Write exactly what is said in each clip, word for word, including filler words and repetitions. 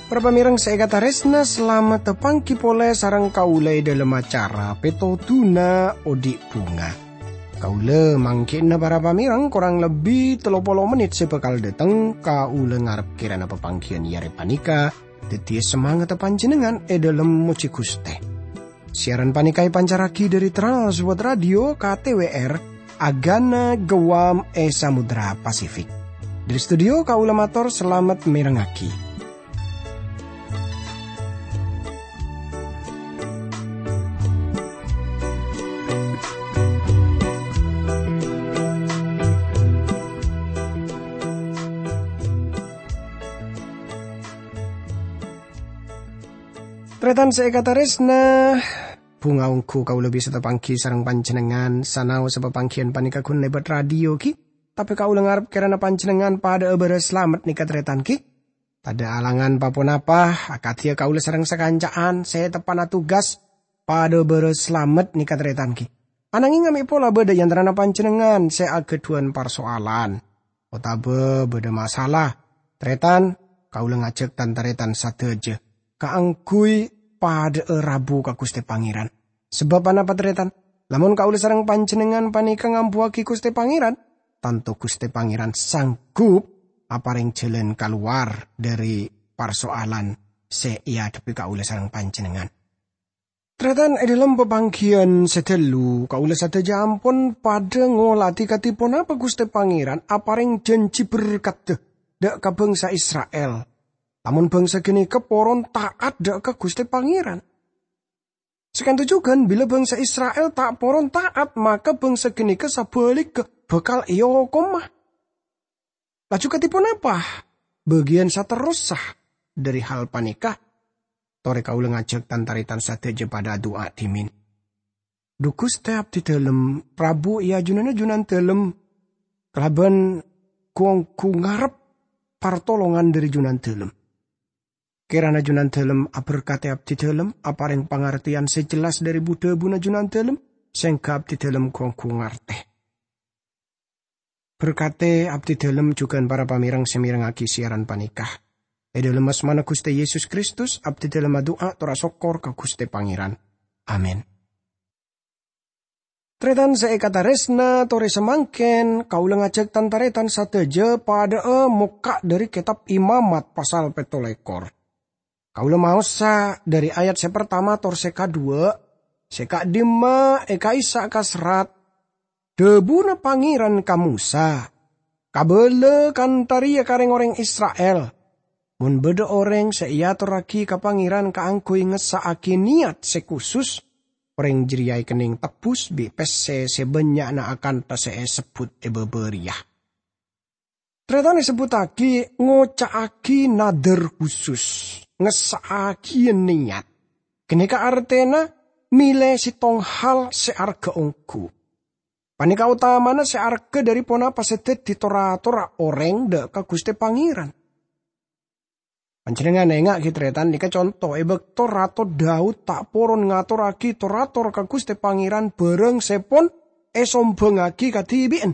Para pamèrèng sè èkatarèsna, salamet tapangghi polè sareng kaulâ è dhâlem acara Pètodhuna Odi' Bhunga. Kaulâ mangghi'na para pamèrèng korang lebbi tello polo mennit sè bhâkal dâteng. Kaulâ ngarep kèrana papangghiyân è arè panèka dhâddhiyâ samangatta panjhennengngan è dhâlem mojhi Ghustè. Siaran panèka èpancarraghi dhâri Trans World Radio K T W R, Agana Guam è Samudra Pasifik. Dhâri studio kaulâ mator salamet mèrengngaghi. Tarètan sè èkatarèsna, bhunga ongghu kaulâ bisa tapangghi sareng panjhennengngan, sanaossa papangghiyân panèka ghun lèbât radio ghi, tapè kaulâ ngarep kèrana panjhennengngan padhâ'â bârâs salamet nèka tarètan ghi. Tadâ' alangan pa-ponapa, akadhiyâ kaulâ sareng sakanca'an sè teppa'na tugas padhâ bârâs salamet nèka tarètan ghi. Ananghing amè' pola bâdâ è antarana panjhennengngan sè aghâdhuwân parsoalan otabâ bâdâ masalah, tarètan, kaulâ ngajhâk tan-tarètan sadhâjâ kaangghuy padhâ'â rabu ka Ghustè Pangèran. Sabâb anapa, tarètan? Lamon kaulâ sareng panjhennengngan panèka ngambuwâghi Ghustè Pangèran, tanto Ghustè Pangèran sanggup aparèng jhâlân kalowar dhâri parsoalan sè èadhebbhi kaulâ sareng panjhennengngan. Tarètan, è dhâlem papangghiyân sè ghâllu, kaulâ sadhâjâ ampon padhâ ngolatè kadhi ponapa Ghustè Pangèran aparèng jhânjhi berkatta dhâ' ka bhângsa Isra'il. Lamon bhângsa ghânèka poron ta'at dhâ' ka Ghustè Pangèran. Saka'dinto jhughân, bilâ bhângsa Isra'il ta' poron ta'at, maka bhângsa ghânèka sabhâligghâ bhâkal èokoma. Laju kadhi ponapa bâgiyân saterrossa dhâri hal panèka? Torè kaulâ ngajhâk tan-tarètan sadhâjâ padhâ adu'a dhimèn. Dhu Ghustè abdhidhâlem, rabu è ajunanna Junandhâlem, kalabân gu-ongghu ngarep partolongan dhâri Junandhâlem. Kèrana Junandhâlem aberkadhi abdhidhâlem, aparèng pangartèyan sè jelas dhâri bu-dhâbuna Junandhâlem, sèngghâ abdhidhâlem gu-ongghu ngartè. Berkadhi abdhidhâlem jhughân para pamèrèng sè mèrengngaghi siaran panèka. È dhâlem asmana Ghustè Yesus Kristus, abdhidhâlem adu'a tor asokkor ka Ghustè Pangèran. Amin. Tarètan sè èkatarèsna, torè samangkèn kaulâ ngajhâk tan-tarètan sadhâjâ padhâ'â mokka' dhâri Kètab Imamat pasal pètto lèkor. Kaulâ maosa dhâri ayat sè partama tor sè kadhuwâ', sè ka'dimma è ka'issa' kaserrat, dhâbuna Pangèran ka Mosa, "Kabâlâ kantha rèya ka rèng-orèng Isra'il, 'Mon bâdâ orèng sè èatorraghi ka Pangèran kaangghuy ngessa'aghi nèyat sè kusus, orèng jârèya èkennèng tebbhus bi' pèssè sè bânnya'na akantha sè èsebbhut è bâbâ rèya.'" Tarètan èsebbhuttaghi ngoca'aghi nadhâr khusus, ngessa'aghiyâ nèyat. Ghânèka artèna mèlè sèttong hal sè arghâ ongghu. Panèka otamana sè arghâ dhâri ponapa sè dhâddhi tor-atorra orèng dhâ' ka Ghustè Pangèran. Panjhennengngan ènga'aghi, tarètan, nèka conto è bâkto Rato Daud ta' poron ngatorraghi tor-ator ka Ghustè Pangèran bârâng sè pon èsombhângaghi kadhibi'ân.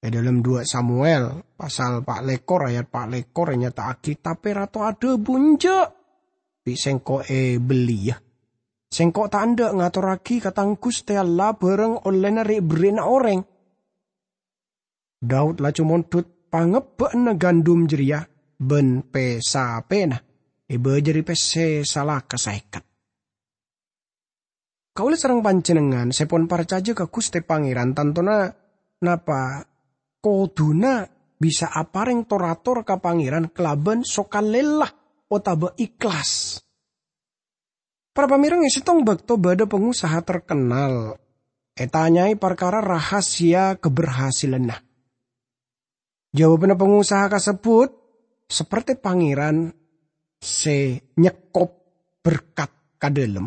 È dhâlem dua Samuel, pasal pa' lèkor, ayat pa' lèkor ènyata'aghi, "Tapè Rato adhâbu, 'Enjâ'! Bi' sèngko' èbelliyâ. Sèngko' ta' endâ' ngatorraghi ka tang Ghustè Allah bârâng ollèna rè'-berrè'na orèng.'" Daud laju mondhut pangebbhâ'ânna gandum jârèya bân pè-sapèna, èbâjâri pèssè salaka saèket. Kaulâ sareng panjhennengngan sè pon parcajâ ka Ghustè Pangèran, tantona napa kodhuna bisa aparèng tor-ator ka Pangèran kalabân sokalèla otabâ èhlas. Para pamèrèng, è sèttong bâkto bâdâ pangosaha terkenal ètanyaè parkara rahasia keberhasilanna. Jawabanna pangosaha kasebbhut, "Sapertè Pangèran sè nyekkop berkat ka dhâlem,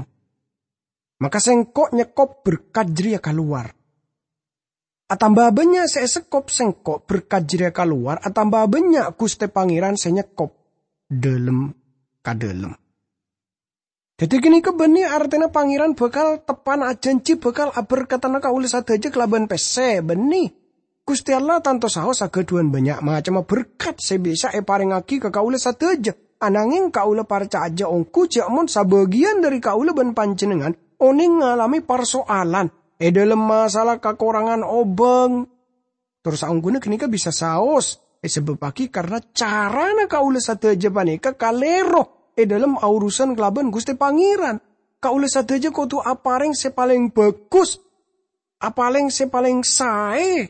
maka sèngko' nyekkop berkat jârèya ka lowar. Atamba bânnya' sè èsekkop sèngko', berkat jârèya ka lowar, atamba bânnya' Ghustè Pangèran sè nyekkop dhâlem ka dhâlem." Dhâddhi ghânèka bânnè artèna Pangèran bhâkal teppa'na ajhânjhi bhâkal aberkadhâna kaulâ sadhâjâ kalabân pèssè, bânnè. Ghustè Allah tanto saos aghâdhuwân bânnya' macemma berkat sè bisa èparèngngaghi ka kaulâ sadhâjâ. Ananghèng kaulâ parcajâ ongghu jhâ' mon sabâgiyân dhâri kaulâ bân panjhennengngan onèng ngalamè parsoalan è dhâlem masalah kakorangan obâng. Tor saongghuna ghânèka bisa saos èsabâbbhâghi karna carana kaulâ sadhâjâ panèka kalèro è dhâlem aurusan kalabân Ghustè Pangèran. Kaulâ sadhâjâ kodhu aparèng sè palèng bhâghus, apalèng sè palèng saè.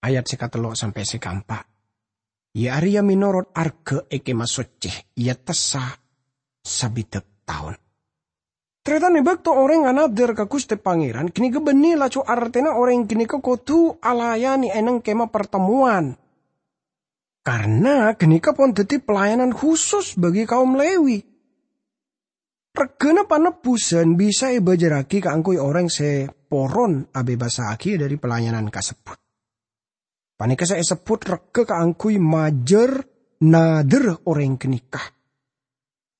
Ayat sè katello' sampè' sè kaempa'. Iyâ arèya mènorot arghâ è Kèma Soccè, iyâ tessa sabidhâk taon. Tarètan, è bâkto orèng anadhâr ka Ghustè Pangèran, ghânèka bânnè laju artèna orèng ghânèka kodhu alayanè è nèng Kèma Partemmowan. Karna ghânèka pon dhâddhi pelayanan khusus bagi kaum Lewi. Reghâna panebbusan bisa èbâjârraghi kaangghuy orèng sè poron abebasaghi dhâri pelayanan kasebbhut. Panèka sè èsebbhut reghâ kaangghuy majâr nadhârrâ orèng ghânèka.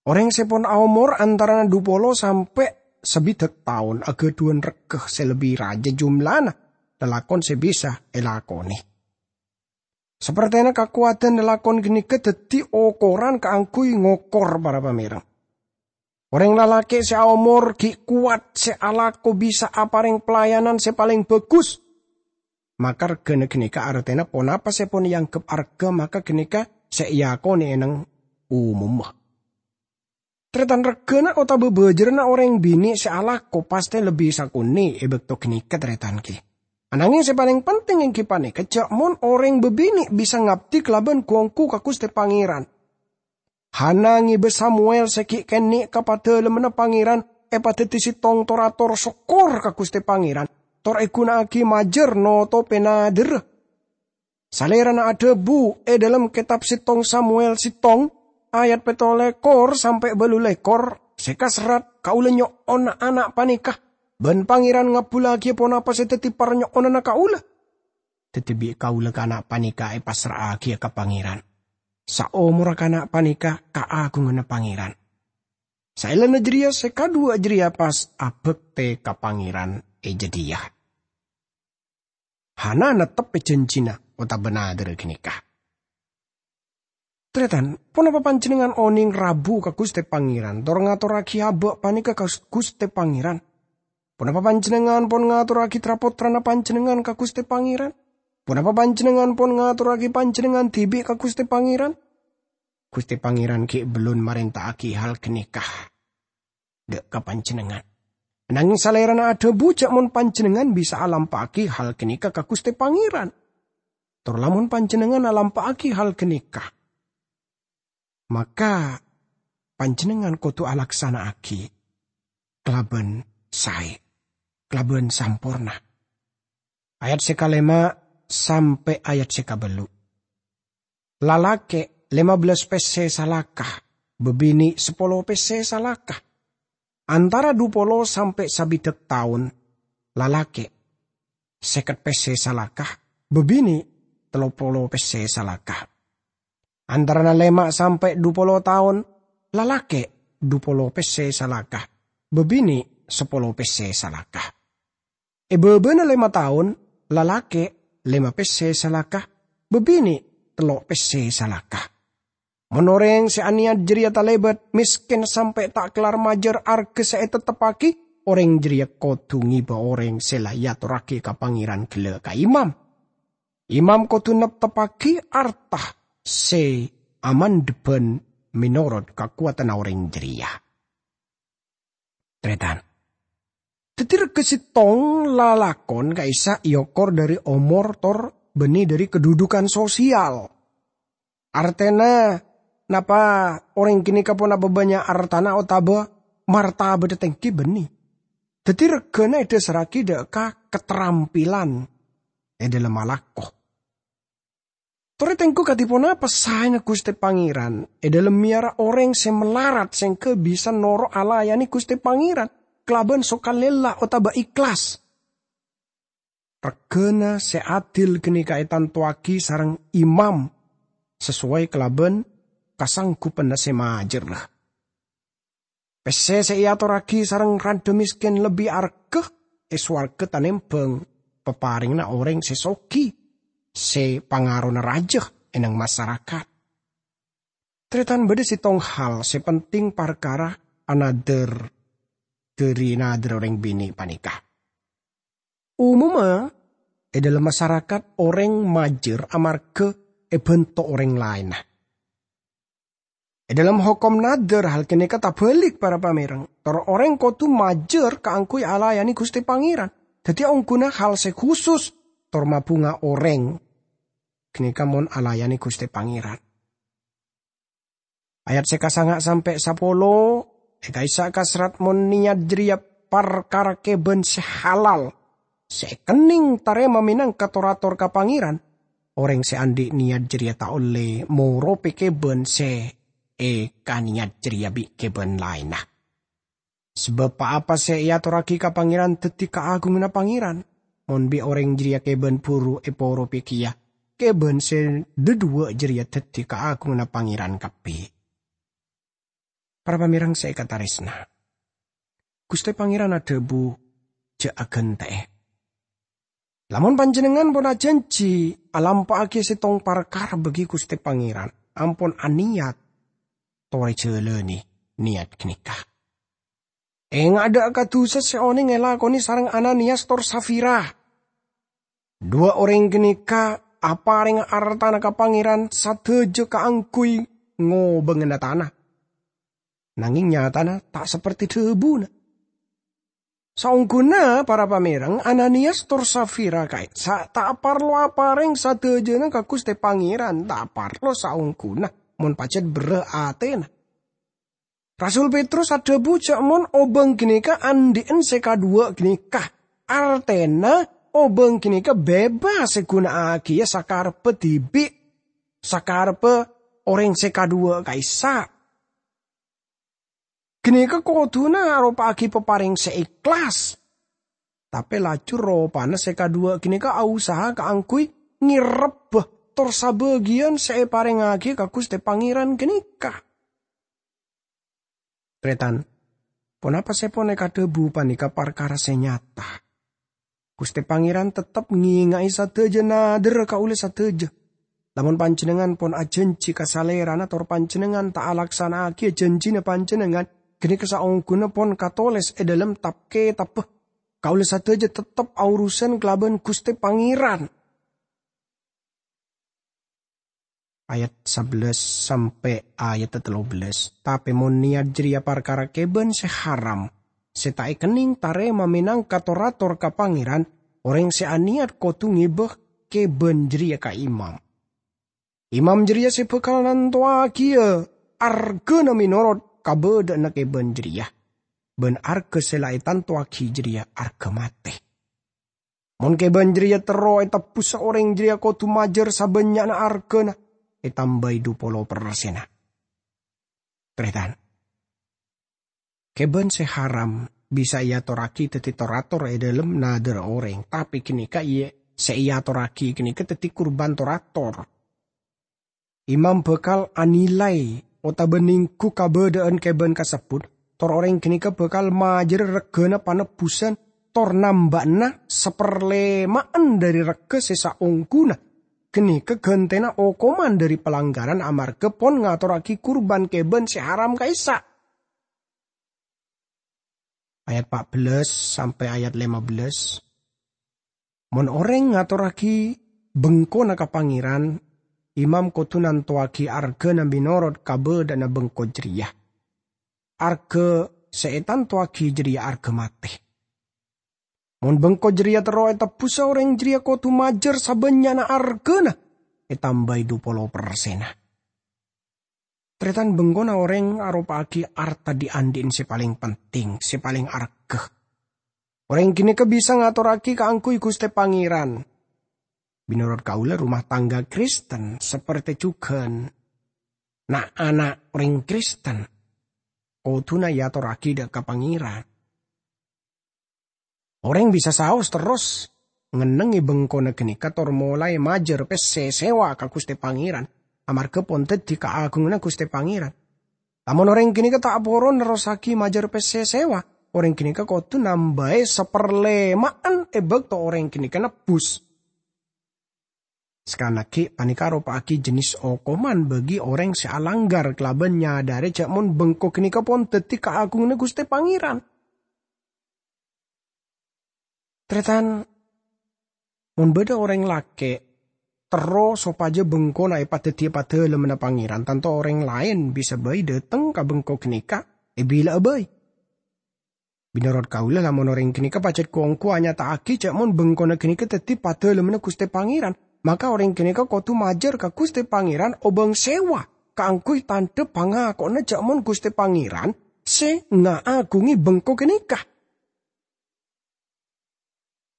Orèng sè pon aomor antarana dupolo sampè' sabidhâk taon aghâdhuwân reghâ sè lebbi rajâ jumlana lalakon sè bisa èlakonè. Sapertèna kakowadhân lalakon ghânèka dhâddhi okoran kaangghuy ngokor para pamèreng. Orèng lalakè' sè aomor ghi' kowat sè alako bisa aparèng pelayanan sè palèng bhâghus. Maka reghâna ghânèka artèna ponapa sè pon èangghep arghâ maka ghânèka sè èakonè è nèng omomma. Tarètan, reghâna otabâ bâjârânna orèng binè' sè alako pastè lebbi sakonè' è bâkto ghânèka, tarètan, ghi. Ananghèng sè palèng penting èngghi panèka jhâ' mon orèng bâbinè' bisa ngabdi kalabân ghu-ongghu ka Ghustè Pangèran. Hana ngèbâ Samuel sè ghi' kènè' ka Padalemmanna Pangèran èpadhâddhi sèttong tor-ator sokkor ka Ghustè Pangèran, tor èghuna'aghi majâr notobhi nadhârrâ. Salèrana adhâbu è dhâlem kètab sèttong Samuel sèttong, ayat pètto lèkor sampè' bâllu lèkor, sè kaserrat, "Kaulâ nyo'ona ana' panèka, bân Pangèran ngabbhullaghi ponapa sè dhâddhi parnyo'onanna kaulâ." Dhâddhi bi' kaulâ kana' panèka èpassra'aghiyâ ka Pangèran. Saomorra kana' panèka kaagunganna Pangèran. Saellana jârèya sè kadhuwâ jârèya pas abhâktè ka Pangèran è jâdiyâ. Hana nettep jhânjhina otabâ nadhârrâ ghânèka. Tarètan, ponapa panjhennengngan onèng rabu ka Ghustè Pangèran, tor ngatorraghi abâ' panèka ka Ghustè Pangèran? Ponapa panjhennengngan pon ngatorraghi tra-pottrana panjhennengngan ka Ghustè Pangèran? Ponapa panjhennengngan pon ngatorraghi panjhennengngan dhibi' ka Ghustè Pangèran? Ghustè Pangèran ghi' bellun marènta'aghi hal ghânèka dâ' ka panjhennengngan. Nangèng Salèrana adhâbu jhâ' mon panjhennengngan bisa alampa'aghi hal ghânèka ka Ghustè Pangèran. Tor lamon panjhennengngan alampa'aghi hal ghânèka, maka panjhennengngan kodhu alaksana'aghi kalabân saè, kalabân samporna. Ayat sè kalèma' sampè' ayat sè kabâllu'. Lalakè' lèma bellâs pèssè salaka, bâbinè' sapolo pèssè salaka. Antara dupolo sampè' sabidhâk taon, lalakè' sèket pèssè salaka, bâbinè' tello polo pèssè salaka. Antarana lèma' sampè' dupolo taon, lalakè' dupolo pèssè salaka, bâbinè' sapolo pèssè salaka. È bâbâna lèma taon, lalakè' lèma pèssè salaka, bâbinè' tello' pèssè salaka. Mon orèng sè anèyat jârèya talèbât, mèskèn sampè' ta' kellar majâr arghâ sè ètetteppaghi, orèng jârèya kodhu ngèbâ orèng sè la èatorraghi ka Pangèran ghellâ' ka imam. Imam kodhu nepteppaghi arta sè amandhebbhân mènorot kakowadhânna orèng jârèya. Tarètan. Dhâddhi règhâ sèttong lalakon ka'issa' èokor dhâri omor tor bânnè dhâri kadhudhukan sosial. Artèna, napa orèng ghânèka ponapa bânnya' artana otabâ martabhâddhâ tèngghi bânnè. Dhâddhi règhâna èdhâsarraghi dâ' ka katrampilan è dhâlem alako. Torè tèngghu kadhi ponapa saèna Ghustè Pangèran è dhâlem mèyara orèng sè malarat sèngghâ bisa noro' alayanè Ghustè Pangèran kalabân sokalèla otabâ èhlas. Règhâna sè adil ghânèka ètantowaghi sareng imam sasowai kalabân kasangghupanna sè majârra. Pèssè sè èatorraghi sareng randha mèskèn lebbi arghâ è sowarghâ tanèmbhâng paparèngnga orèng sè soghi, sè pangarona rajâ è nèng masarakat. Tarètan, bâdâ sèttong hal sè penting parkara anadhâr dhâri nadhâr orèng binè' panèka. Umumma, è dhâlem masarakat orèng majâr amarghâ èbhânto orèng laènna. È dhâlem hokom nadhâr hal ghânèka tabhâlik, para pamèreng. Tor orèng kodhu majâr kaangghuy alayanè Ghustè Pangèran. Dhâddhi ongghuna hal sè khusus tor mabhunga orèng ghânèka mon alayanè Ghustè Pangèran. Ayat sè kasanga' sampè' sapolo, è ka'issa' kaserrat mon niyat jârèya parkara kèbân sè halal, sè èkennèng tarèma mènangka tor-ator ka Pangèran, orèng sè andi' niyat jârèya ta' ollè moropè kèbân sè èkaniyat jârèya bi' kèbân laènna. Sabâb pa-apa sè èatorraghi ka Pangèran dhâddhi kaagunganna Pangèran. Mon bi' orèng jârèya kèbân buru èporopè kèya, kèbân sè dhâduwâ' jârèya dhâddhi kaagunganna Pangèran kabbhi. Para pamèreng sè èkatarèsna, Ghustè Pangèran adhâbu, "Jhâ' aghântè'è." Lamon panjhennengngan pon ajhânjhi alampa'aghi sèttong parkara bâgi Ghustè Pangèran, ampon aniyat, torè jhâlânè niyat ghânèka. Enga' dâ' ka dhusa sè onèng èlakonè sareng Ananiyas tor Safira. Dhuwâ' orèng ghânèka aparènga artana ka Pangèran sadhâjâ kaangghuy ngobângana tana. Nangèng nyatana ta' saperti dhâbuna. Saongghuna, para pamèreng, Ananiyas tor Safira ka'issa' ta' parlo aparèng sadhâjâna ka Ghustè Pangèran, ta' parlo saongghuna, mon pajhât berrâ' atèna. Rasul Petrus adhâbu jhâ' mon obâng ghânèka andi'en sè kadhuwâ' ghânèka, artèna obâng ghânèka bebas èghuna'aghiyâ sakarebbhâ dhibi', sakarebbhâ orèng sè kadhuwâ' ka'issa'. Ghânèka kodhuna aropa'aghi paparèng sè èhlas. Tapè laju ropana sè kadhuwâ' ghânèka ausaha kaangghuy ngèrebbhâ tor sabâgiyân sè èparèngaghi ka Ghustè Pangèran ghânèka. Tarètan, ponapa sè pon èkadhâbu panèka parkara sè nyata. Ghustè Pangèran tettep ngènga'è sadhâjâ nadhârra kaulâ sadhâjâ. Lamon panjhennengngan pon ajhânjhi ka Salèrana tor panjhennengngan ta' alaksana'aghiyâ jhânjhina panjhennengngan, ghânèka saongghuna pon katolès è dhâlem tap-kètabbhâ. Kaulâ sadhâjâ tettep aorosan kalabân Ghustè Pangèran. Ayat sabellâs sampè' ayat tello bellâs. Tapè mon niyat jârèya parkara kèbân sè haram, sè ta' èkennèng tarèma mènangka tor-ator ka Pangèran, orèng sè aniyat kodhu ngèbâ kèbân jârèya ka imam. Imam jârèya sè bhâkal nantowaghi arghâna mènorot kabâdâ'ânna kèbân jârèya, bân arghâ sè la ètantowaghi jârèya arghâ matè. Mon kèbân jârèya terro ètebbhusa, orèng jârèya kodhu majâr sabânnya'na arghâna, ètambâi dhu polo persenna. Tarètan, kèbân sè haram bisa èatorraghi dhâddhi tor-ator è dhâlem nadhârra orèng, tapè ghânèka iyâ sè èatorraghi ghânèka dhâddhi kurban tor-ator. Imam bhâkal anilai otabâ nèngghu kabâdâ'ân kèbân kasebbhut, tor orèng ghânèka bhâkal majârâ règhâna panebbhusan tor nambâ'na saparlèma'an dhâri règhâ sè saongghuna. Ghânèka ghântèna okoman dhâri palanggaran amarghâ pon ngatorraghi kurban kèbân sè haram ka'issa'. Ayat pa' bellâs sampè' ayat lèma bellâs. Mon orèng ngatorraghi bengkona ka Pangèran, imam kodhu nantowaghi arghâna mènorot kabâdâ'ânna bengko jârèya. Arghâ sè ètantowaghi jârèya arghâ matè. Mon bengko jârèya terro ètebbhusa, orèng jârèya kodhu majâr sabânnya'na arghâna, ètambâi dhu polo persenna. Tarètan, bengkona orèng aropa'aghi arta dhi'-andhi'en sè palèng penting, sè palèng arghâ. Orèng ghânèka bisa ngatorraghi kaangghuy Ghustè Pangèran. Mènorot kaulâ, rumah tangga Kristen, sapertè jhughân na'-ana' orèng Kristen, kodhuna èatorraghi dâ' ka Pangèran. Orèng bisa saos terros ngennengngè bengkona ghânèka tor molaè majâr pèssè sèwa ka Ghustè Pangèran, amarghâ pon dhâddhi kaagunganna Ghustè Pangèran. Lamon orèng ghânèka ta' poron nerrossaghi majâr pèssè sèwa, orèng ghânèka kodhu nambâi saparlèma'an è bâkto orèng ghânèka nebbhus. Sakalè aghi', panèka aropa'aghi jhânès okoman bagi orèng sè alangghâr kalabân nyadhâri jhâ' mon bengko ghânèka pon dhâddhi kaagunganna Ghustè Pangèran. Tarètan, mon bâdâ orèng lakè' terro sopajâ bengkona èpadhâddhiyâ padâlemmanna Pangèran, tanto orèng laèn bisa bhâi dâteng ka bengko ghânèka èbila'a bhâi. Mènorot kaulâ, lamon orèng ghânèka pajhât ghu-ongghu anyata'aghi jhâ' mon bengkona ghânèka dhâddhi padâlemmanna Ghustè Pangèran, maka orèng ghânèka kodhu majâr ka Ghustè Pangèran obâng sèwa kaangghuy tandhâ pangako'na jhâ' mon Ghustè Pangèran sè ngaagungi bengko ghânèka.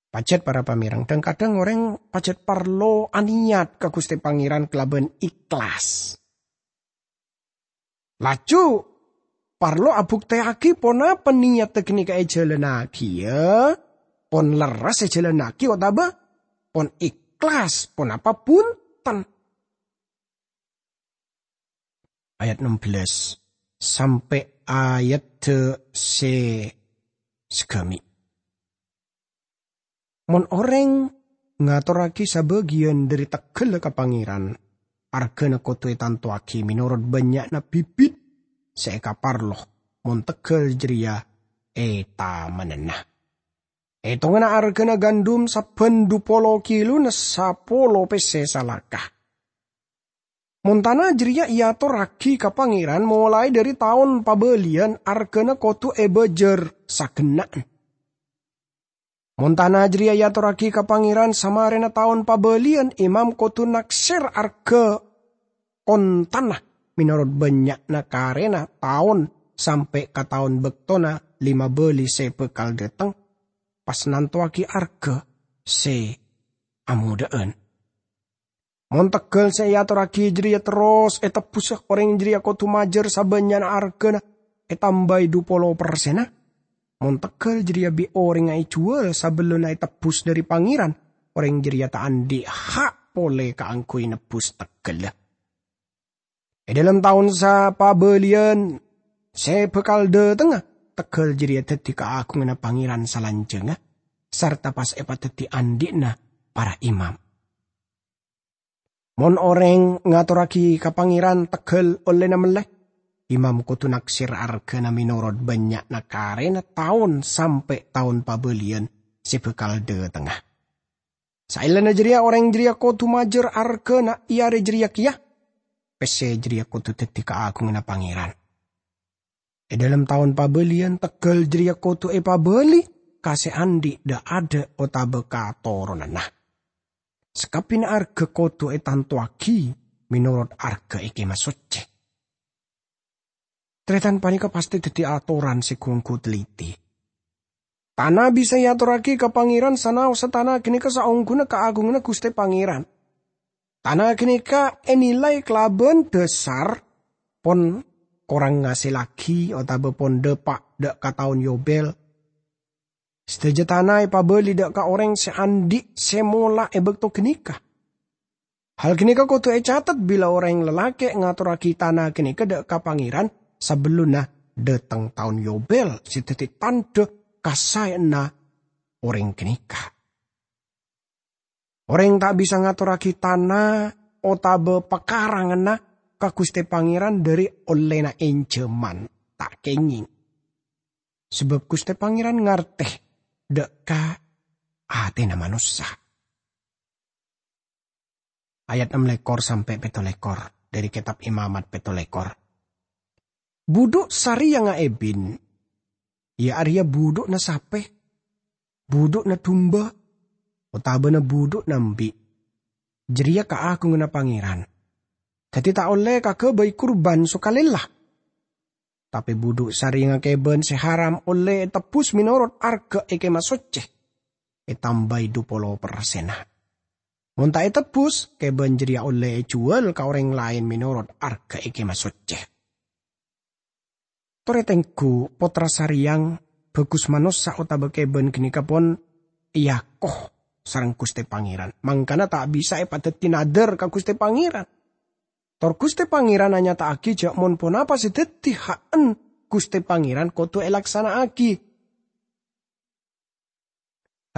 Pajhât para pamèreng, dhâng-kadhâng orèng pajhât parlo anèyat ka Ghustè Pangèran kalabân ikhlas. Laju, parlo abuktèyaghi ponapa nèyaddhâ ghânèka èjhâlânnaghi, yâ? Pon lerres èjhâlânnaghi otabâ pon ikhlas, ponapa bhunten? Ayat enam belas sampè' ayat sè sagâmè'. Mon orèng ngatorraghi sabâgiyân dhâri tegghâlla ka Pangèran, arghâna kodhu ètantowaghi mènorot bânnya'na bibit sè èkaparlo mon tegghâl jârèya ètamennana. Ètonganna arghâna gandum sabbhân dhu polo kilona sapolo pèssè salaka. Mon tana jârèya èatorraghi ka Pangèran molaè dhâri taon pabâliyân, arghâna kodhu èbâjâr sagenna'an. Mon tana jârèya èatorraghi ka Pangèran samarèna taon pabâliyân, imam kodhu naksèr arghâ kontana mènorot bânnya'na karèna taon sampè' ka taon bâktona lèma bâli sè bhâkal dâteng, pas nantowaghi arghâ sè amodhâ'ân. Mon tegghâl sè èatorraghi jârèya terros ètebbhusa, orèng jârèya kodhu majâr sabânnya'na arghâna, ètambâi dhu polo persenna. Mon tegghâl jârèya bi' orèngnga èjhuwâl sabellunna ètebbhus dhâri Pangèran, orèng jârèya ta' andi' ha' polè kaangghuy nebbhus tegghâlla. È dhâlem taon sapabâliyân sè bhâkal dâtengnga, tegghâl jârèya dhâddhi kaagunganna Pangèran salanjhângnga, sarta pas èpadhâddhi andi'na para imam. Mon orèng ngatorraghi ka Pangèran tegghâl ollèna mellè, imam kodhu naksèr arghâna mènorot bânnya'na karèna taon sampè' taon pabâliyân sè bhâkal dâtengnga. Saellana jârèya orèng jârèya kodhu majâr arghâna è arè jârèya kèya. Pèssè jârèya kodhu dhâddhi kaagunganna Pangèran. È dhâlem taon pabâliyân, tegghâl jârèya kodhu èpabâli ka sè andi' dâ'-adâ' otabâ ka toronanna. Sakabbhiyânna arghâ kodhu ètantowaghi mènorot arghâ è Kèma Soccè. Tarètan, panèka pastè dhâddhi atoran sè ghu-ongghu telliti. Tana bisa èatorraghi ka Pangèran sanaossa tana ghânèka saongghuna kaagunganna Ghustè Pangèran. Tana ghânèka ènilai kalabân dhâsar pon korang ngasèllaghi otabâ pon dâpa' dâ' ka taon Yobel. Sadhâjâ tana èpabâli dâ' ka orèng sè andi' sè mola è bâkto ghânèka. Hal ghânèka kodhu ècatet bilâ orèng lalakè' ngatorraghi tana ghânèka dâ' ka Pangèran sabellunna dâteng taon Yobel sè dhâddhi tandhâ kasaèyanna orèng ghânèka. Orèng ta' bisa ngatorraghi tana otabâ pakaranganna ka Ghustè Pangèran dhâri ollèna ènjhâman, ta' kèngèng. Sabâb Ghustè Pangèran ngartè dâ' ka atèna manossa. Ayat ennem lèkor sampè' pèttolèkor dhâri Kètab Imamat pèttolèkor. Budhu' sarèyangnga èbin, iyâ arèya budhu'na sapè, budhu'na dumba, otabâna budhu'na embi', jârèya kaagunganna Pangèran. Dhâddhi ta' ollè kaghâbây kurban sokalèlla. Tapè budhu' sarèyangnga kèbân sè haram ollè ètebbhus mènorot arghâ è Kèma Soccè, ètambâi dhu polo persenna. Mon ta' ètebbhus, kèbân jârèya ollè èjhuwâl ka orèng laèn mènorot arghâ è Kèma Soccè. Torè tengghu, pottra sarèyang, bhâghus manossa otabâ kèbân ghânèka pon èako sareng Ghustè Pangèran, mangkana ta' bisa èpadhâddhi nadhâr ka Ghustè Pangèran. Tor Guste Pangeran anyata'agi ja' mon ponapa se daddi ha'en Guste Pangeran kodu elaksana'agi.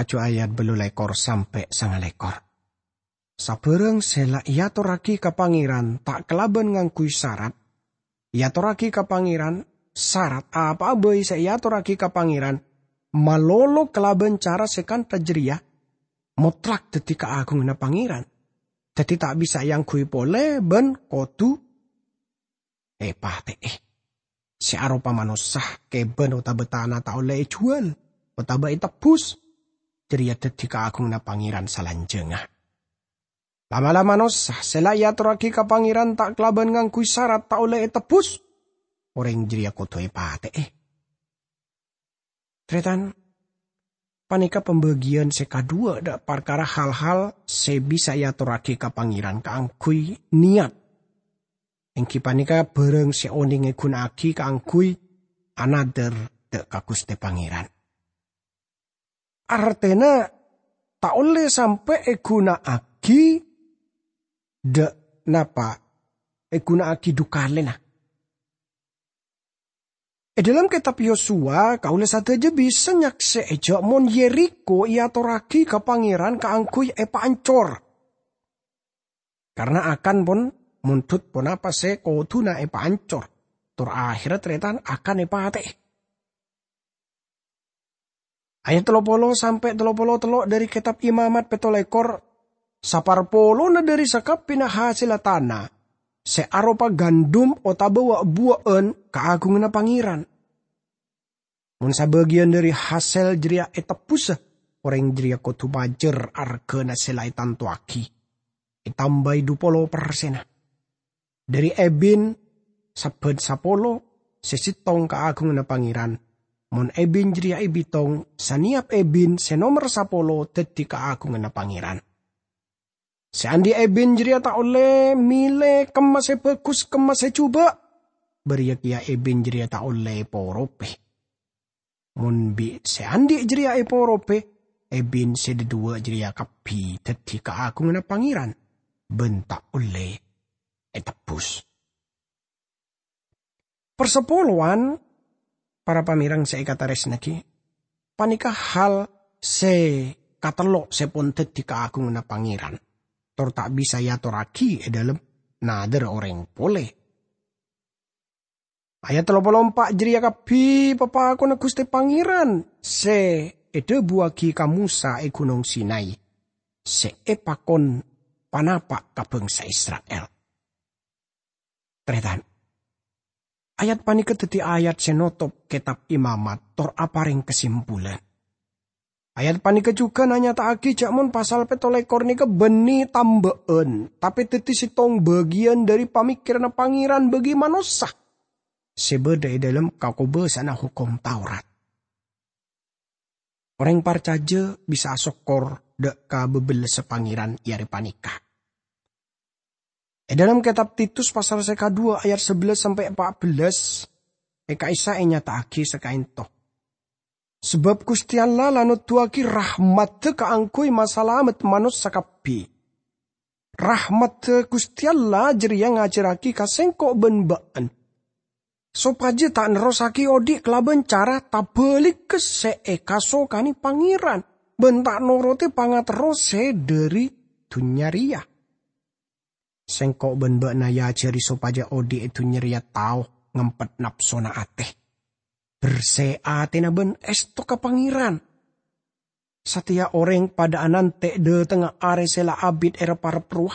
Laju ayat bellulekor sampe' sangalekor. Sabarang se la eatorragi ka Pangeran ta' kalaban ngangguy sarat, eatorragi ka Pangeran, sarat apa'a bai se eatorragi ka Pangeran, malolo kalaban cara se kantha jareya, motlak daddi kaagunganna Pangeran. Daddi ta' bisa eangguy pole ban kodu epate'e. Se aropa manossa keban otaba tana ta' olle ejuwal otaba etebbus, jareya daddi kaagunganna Pangeran salanjangnga. La'-mala' manossa se la eatorragi ka Pangeran ta' kalaban ngangguy sarat ta' olle etebbus, oreng jareya kodu epate'e. Taretan, paneka pambagiyan se kadhuwa dha' parkara hal-hal se bisa eatorragi ka Pangeran kaangguy niyat. Enggi paneka barang se oneng eguna'agi kaangguy anadhar dha' ka Guste Pangeran. Artena ta' olle sampe' eguna'agi dha' napa, eguna'agi dhu kalena. E dhalem Ketab Yosua, kaula sadaja bisa nyakse'e ja' mon Yerikho eatorragi ka Pangeran kaangguy epaancor. Karna Akan pon mondhut ponapa se koduna epaancor, tor aherra taretan Akan epate'e. Ayat tello polo sampe' tello polo tello' dhari Ketab Imamat petto lekor, saparpolona dhari sakabbina hasella tana se aropa gandum otaba wa'-buwa'an kaagunganna Pangeran. Mon sabagiyan dhari hasel jareya etebbusa, oreng jareya kodu majâr argana se la etantowagi, etambai dhu polo persenna. Dhari ebin sabban sapolo se settong kaagunganna Pangeran. Mon ebin jareya ebitong, saneyap ebin se nomer sapolo daddi kaagunganna Pangeran. Se andhi' ebin jareya ta' olle mele kemma se bagus kemma se juba', bariya keya ebin jareya ta' olle eporope. Mon bi' se andhi' jareya eporope, ebin se dhadhuwa' jareya kabbi daddi kaagunganna Pangeran, ban ta' olle etebbus. Parsapolowan, para pamereng se ekataresnagi, paneka hal se katello se pon daddi kaagunganna Pangeran, tor ta' bisa eatorragi e dhalem nadhar oreng pole. Ayat tello polo empa' jareya kabbi papakonna Guste Pangeran se edhabuwagi ka Mosa e Gunong Sinai, se epakon panapa' ka bangsa Isra'il. Taretan, ayat paneka daddi ayat se notop Ketab Imamat tor apareng kasimpulan. Ayat paneka jugan anyata'agi ja' mon pasal petto lekor neka banne tamba'an, tape daddi settong bagiyan dhari pamekkeranna Pangeran bagi manossa se badha e dhalem kakobasa'anna Hokom Taurat. Oreng parcaja bisa asokkor dha' ka bebellessa Pangeran e are paneka. E dhalem Ketab Titus pasal se kadhuwa ayat sabellâs sampe' empa' bellâs, e ka'issa' enyata'agi sakaento. Sabab Guste Allah la noduwagi rahmadda kaangguy masalamet manossa kabbi. Rahmadda Guste Allah jareya ngajarragi ka sengko' ban ba'en, sopaja ta' nerrossagi odhi' kalaban cara tabaligga se ekasokane Pangeran, ban ta' norote pangaterro se dhari dunnya reya. Sengko' ban ba'na eajari sopaja odhi' e dunnya reya tao ngempet napsona ate, berse atena ban esto ka Pangeran. Sateya oreng padha anante' dhatengnga are se la abit erep-arep rowa.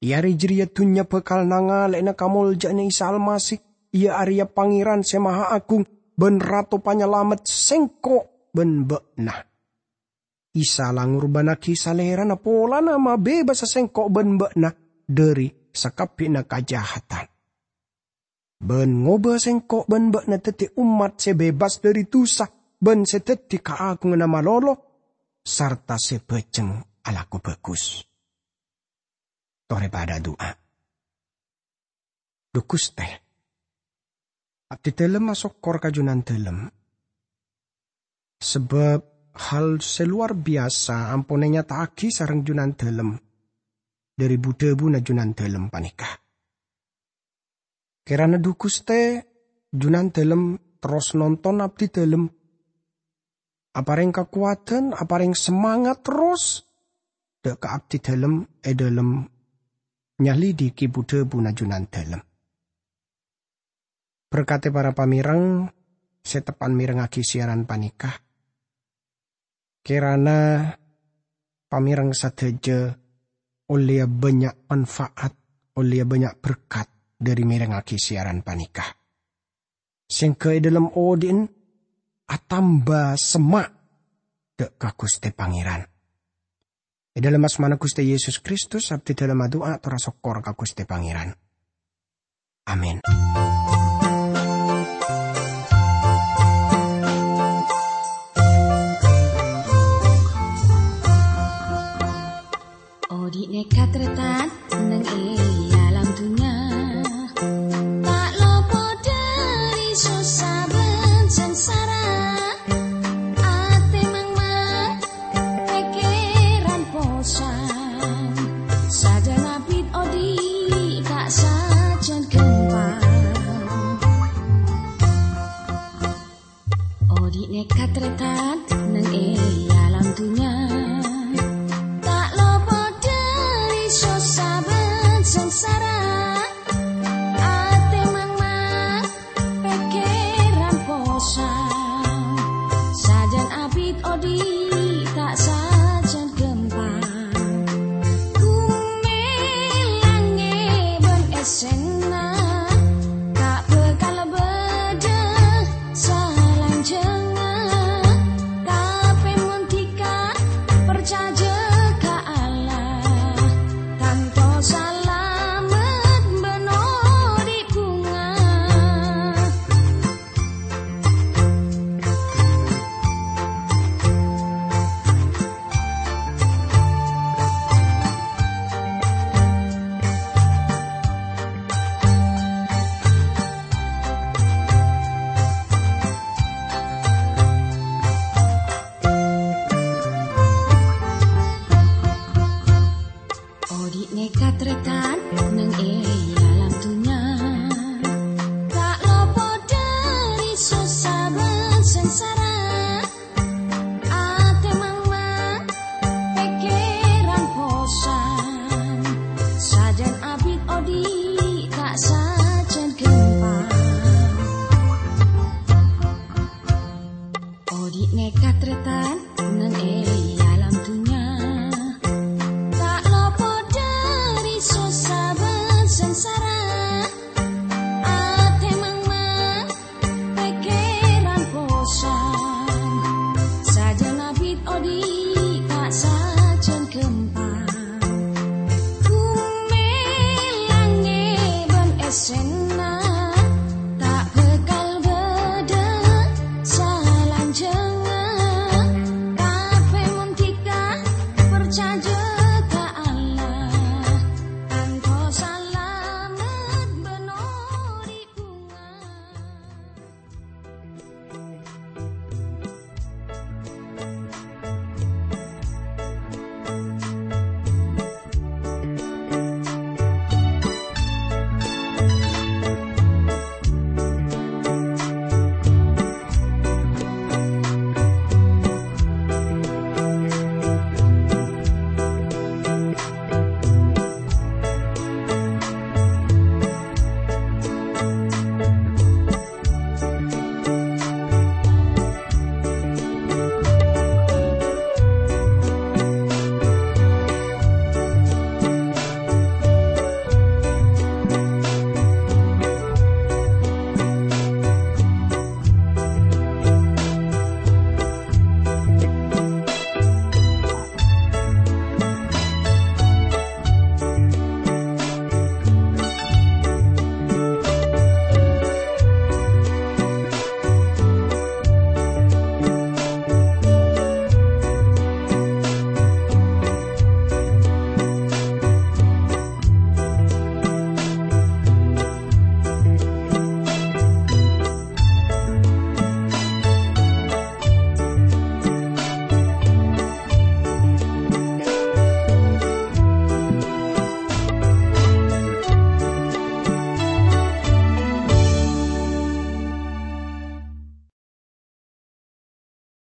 E are jareya dunnya bakal nangale'ana kamolja'anna Isa Almasih, iya areya Pangeran Se Mahaagung ban Rato Panyalamet sengko' ban ba'na. Isa la ngorbannagi Salerana polana mabebasa sengko' ban ba'na dhari sakabbina kajahadan, ban ngoba sengko' ban ba'na daddi ommat se bebas dhari dusa ban se daddi kaagunganna malolo sarta se bajeng alako bagus. Tore padha adu'a. Dhu Guste, abdidalem asokkor ka Junandalem, sabab hal se lowar biyasa ampon enyata'agi sareng Junandalem dhari bu-dhabuna Junandalem paneka. Kèrana dhu Ghustè, Junandhâlem terros nonton abdhidhâlem, aparèng kakowadhân, aparèng semangat terros dâ' ka abdhidhâlem è dhâlem nyalidhiki bu-dhâbuna Junandhâlem. Berkadhi para pamèreng sè teppan mèrengngaghi siaran panèka. Kèrana pamèreng sadhâjâ ollèya bânnya' manfaat, ollèya bânnya' berkat dhâri mèrengngaghi siaran panèka. Sèngghâ è dhâlem odi'na atamba semma' dâ' ka Ghustè Pangèran. È dhâlem asmana Ghustè Yesus Kristus, abdhidhâlem adu'a tor asokkor ka Ghustè Pangèran. Amin. Odi' nèka tarètan neng è alam dunnya, ta' lopot dhâri sossa bân sangsara. Atè mangmang, pèkkèran posang, sajân abit odi' ta' sajân ghâmpang. Odi' nèka tarètan neng è alam dunnya, ta' lopot dhâri sossa bân sangsara. Atè mangmang, pèkkèran posang, sajân abit odi' ta' sajân ghâmpang. Gumè langngè bân èssèna ta' bhâkal bâdâ salanjhângnga. Tapè mon dhika parcajâ ka Allah, tanto salamet bân odi' bhunga. Odi' nèka tarètan neng è alam dunnya, ta' lopot dhâri sossa bân sangsara.